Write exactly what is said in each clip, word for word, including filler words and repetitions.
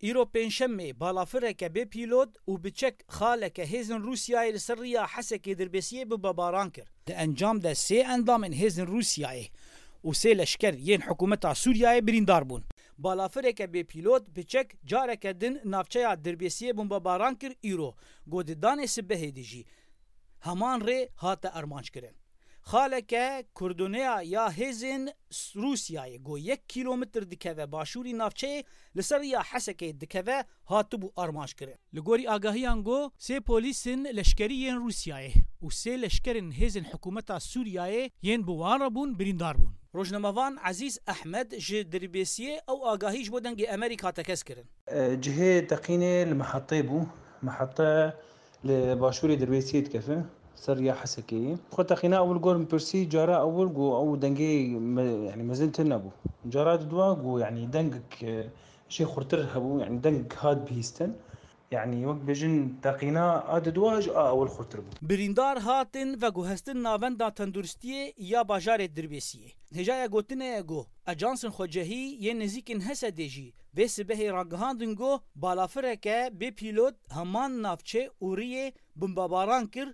Îro pêncşemê balafireke bê pîlot û bi çek xaleke hêzên Rûsyayê li ser riya Hesekê Dirbêsiyê bombebaran kir. Di encam de sê endamên hêzên Rûsyayê û sê leşker yên hikûmeta Sûriyeyê birîndar bûn. Balafireke bê pîlot bi çek careke din navçeya Dirbêsiyê bombebaran kir îro, ku di danê sibehê de jî heman rê hate armanckirin. Xaleke kurdoneya ya hêzên Rûsyayê ku yek kîlometr dikeve başûrî navçeyê, li ser riya Hesekê dikeve, hatibû armanckirin. Li gorî agahiyan ku sê polîsên leşkerî yên Rûsyayê û sê leşkerên hêzên hikûmeta Sûriyeyê yên bi wan re bûn birîndar bûn. Rojnamevan Ezîz Ehmed ji Dirbêsiyê ew agahî ji bo Dengê Amerîka tekez kirin. E, cihê teqînê li Mihetê bû. Mihete li başûrê Dirbêsiyê dikeve, ser riya Hesekê ye. Xwe teqîna ewil gor min pirsî, cara ewil ku ew dengê me-, yanî mezin tune bû. Cara didwa ku, yanî dengek, e, jê xurtir hebû, yanî dengek hat bihîstin. Yanî wek bêjin teqîna a didwa ji a ewil xurtir bû. Birîndar hatin veguhestin navenda tenduristiyê ya bajarê Dirbêsiyê. Hêjaya gotinê ye ku ajansên xwecehî yên nêzîkên Hesedê jî vê sibehê ragihandin ku balafireke bê pîlot heman navçe û riyê bombebaran kir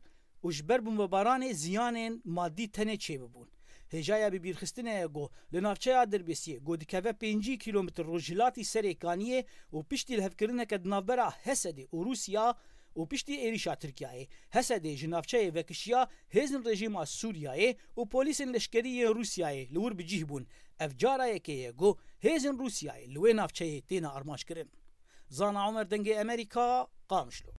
û ji ber bombebaranê ziyanên madî tenê çêbibûn. Hêjaya bibîrxistinê ye ku li navçeya Dirbêsiyê ku dikeve pêncî kîlometr rojhilatî Serê Kaniyê û piştî lihevkirineke di navbera Hesedê û Rûsya û piştî êrîşa Tirkiyeyê, Hesedê ji navçeyê vekişiya, hêzên rejîma Sûriyeyê û polîsên leşkerî yên Rûsyayê li wir bi cih bûn. Ev cara yekê ye ku hêzên Rûsyayê li wê navçeyê têne armanckirin. Zana Omer, Dengê Amerîka, Qamişlo.